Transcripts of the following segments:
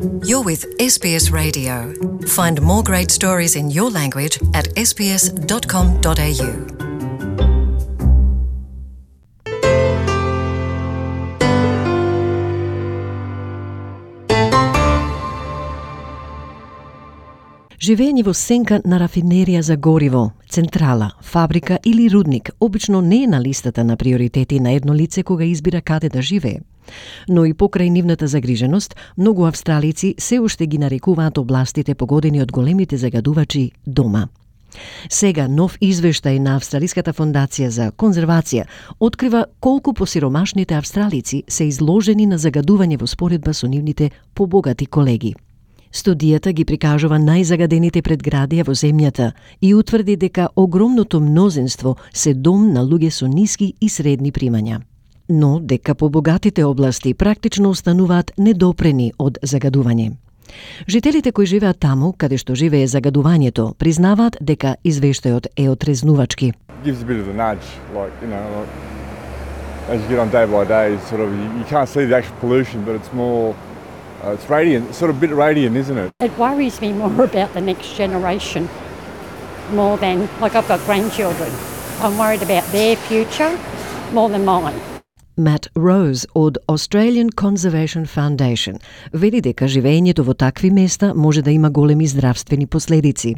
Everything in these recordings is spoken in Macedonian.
You're with SBS Radio. Find more great stories in your language at sbs.com.au. Живење во сенка на рафинерија за гориво, централа, фабрика или рудник обично не е на листата на приоритети на едно лице кога избира каде да живее. Но и покрај нивната загриженост, многу австралици се уште ги нарекуваат областите погодени од големите загадувачи дома. Сега нов извештај на Австралиската фондација за конзервација открива колку посиромашните австралици се изложени на загадување во споредба со нивните побогати колеги. Студијата ги прикажува најзагадените предградија во земјата и утврди дека огромното мнозинство се дом на луѓе со ниски и средни примања. Но дека побогатите области практично остануваат недопрени од загадување. Жителите кои живеат таму, каде што живее загадувањето, признаваат дека извештајот е отрезнувачки. Gives a bit of a nudge, as you get on day by day, you can't see the actual pollution, but it's more, it's radiant, sort of a bit radiant, isn't it? It worries me more about the next generation, more than, I've got grandchildren. I'm worried about their future more than mine. Matt Rose од Australian Conservation Foundation вели дека живеењето во такви места може да има големи здравствени последици.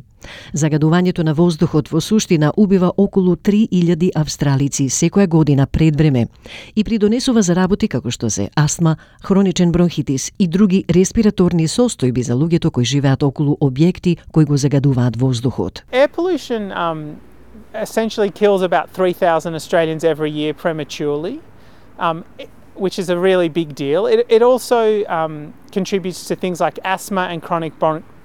Загадувањето на воздухот во суштина убива околу 3000 австралици секоја година пред време и придонесува за работи како што се астма, хроничен бронхитис и други респираторни состојби за луѓето кои живеат околу објекти кои го загадуваат воздухот. Air pollution essentially kills about 3,000 Australians every year prematurely. Which is a really big deal. It also contributes to things like asthma and chronic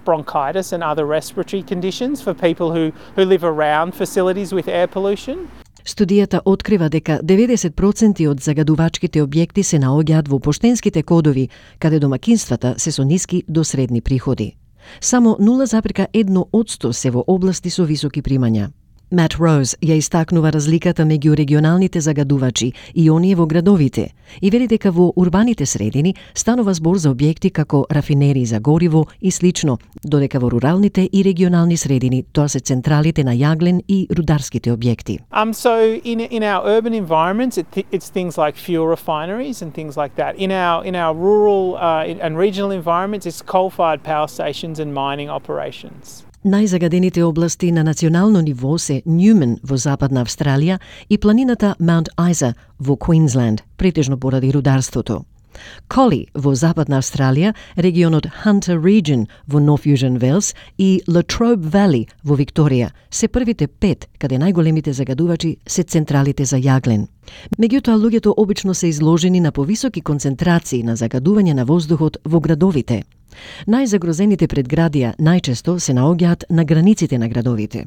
bronchitis and other respiratory conditions for people who live around facilities with air pollution. Студијата открива дека 90% од загадувачките објекти се наоѓаат во поштенските кодови, каде домакинствата се со ниски до средни приходи. Само 0,1% се во области со високи примања. Matt Rose ја истакнува разликата меѓу регионалните загадувачи и оние во градовите и вели дека во урбаните средини станува збор за објекти како рафинерии за гориво и слично, додека во руралните и регионални средини тоа се централите на јаглен и рударските објекти. So in our urban environments it's things like fuel refineries and things like that. In our rural and regional environments it's coal-fired power stations and mining operations. Најзагадените области на национално ниво се Ньюмен во Западна Австралија и планината Маунт Айза во Квинсленд, претежно поради рударството. Коли во Западна Австралија, регионот Hunter Region во Нов Јужен Велс и Latrobe Valley во Викторија се првите 5 каде најголемите загадувачи се централите за јаглен. Меѓутоа, луѓето обично се изложени на повисоки концентрации на загадување на воздухот во градовите. Најзагрозените предградија најчесто се наоѓаат на границите на градовите.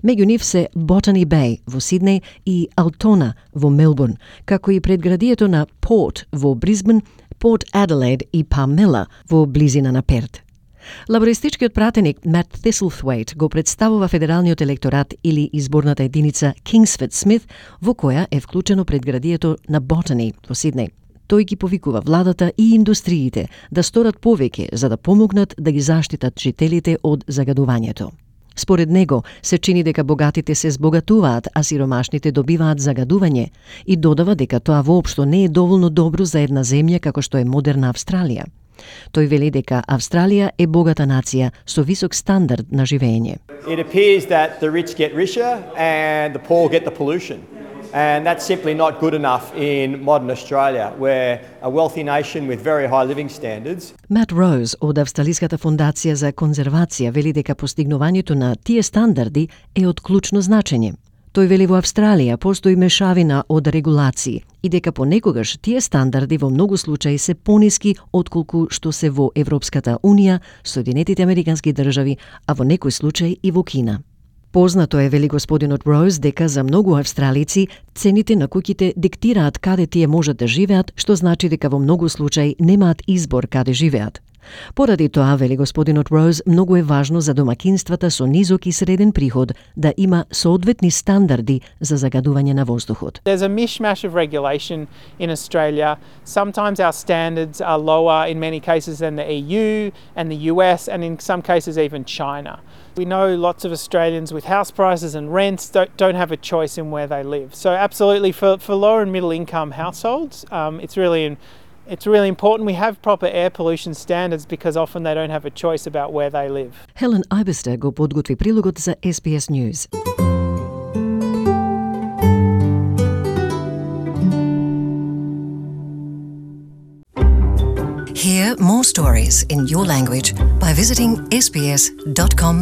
Меѓу нив се Botany Bay во Сиднеј и Altona во Мелбурн, како и предградието на Port во Брисбен, Port Adelaide и Palmilla во близина на Перт. Лабористичкиот пратеник Matt Thistlethwaite го представува федералниот електорат или изборната единица Kingsford Smith, во која е вклучено предградието на Botany во Сиднеј. Тој ги повикува владата и индустриите да сторат повеќе за да помогнат да ги заштитат жителите од загадувањето. Според него, се чини дека богатите се збогатуваат, а сиромашните добиваат загадување и додава дека тоа воопшто не е доволно добро за една земја како што е модерна Австралија. Тој вели дека Австралија е богата нација со висок стандард на живење. It appears that the rich get richer and the poor get the pollution. And that's simply not good enough in modern Australia. We're a wealthy nation with very high living standards. Matt Rose од Австралиската фондација за конзервација вели дека постигнувањето на тие стандарди е од клучно значење. Тој вели во Австралија постои мешавина од регулации и дека понекогаш тие стандарди во многу случаи се пониски отколку што се во Европската Унија, Соединетите Американски држави, а во некој случај и во Кина. Познато е, вели господинот Роуз, дека за многу австралици цените на куќите диктираат каде тие можат да живеат, што значи дека во многу случаи немаат избор каде живеат. Поради тоа, вели господинот Роуз, многу е важно за домакинствата со низок и среден приход да има соодветни стандарди за загадување на воздухот. There's a mishmash of regulation in Australia. Sometimes our standards are lower in many cases than the EU and the US and in some cases even China. We know lots of Australians with house prices and rents don't have a choice in where they live. So absolutely for lower and middle income households, it's really important we have proper air pollution standards because often they don't have a choice about where they live. Helen Eibester го подготви прилогот за SBS News. Hear more stories in your language by visiting sbs.com.au.